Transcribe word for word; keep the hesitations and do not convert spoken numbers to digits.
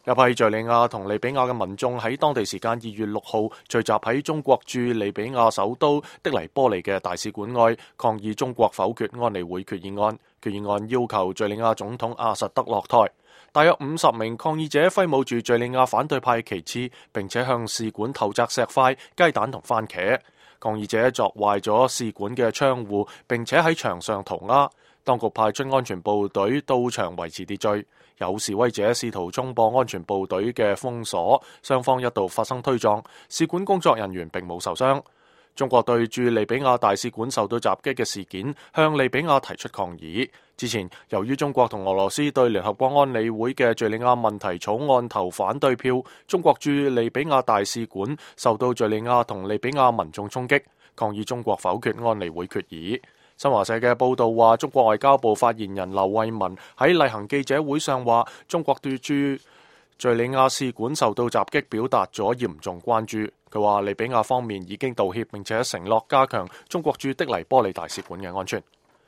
一批敘利亞同利比亞嘅民眾喺當地時間二月六號聚集喺中國駐利比亞首都的黎波里嘅大使館外，抗議中國否決安理會決議案。決議案要求敘利亞總統阿薩德落台。大約五十名抗議者揮舞住敘利亞反對派旗幟，並且向使館投擲石塊、雞蛋同番茄。抗議者鑿壞咗使館嘅窗戶，並且喺牆上塗鴉。當局派出安全部隊到場維持秩序。有示威者試圖衝破安全部隊嘅封鎖，雙方一度發生推撞。使館工作人員並冇受傷。中國對駐利比亞大使館受到襲擊嘅事件，向利比亞提出抗議。之前，由於中國同俄羅斯對聯合國安理會嘅敘利亞問題草案投反對票，中國駐利比亞大使館受到敘利亞同利比亞民眾衝擊，抗議中國否決安理會決議。新華社嘅報導話，中國外交部發言人劉慧文喺例行記者會上話，中國對駐敘利亞使館受到襲擊表達咗嚴重關注。佢話利比亞方面已經道歉，並且承諾加強中國駐的黎波里大使館嘅安全。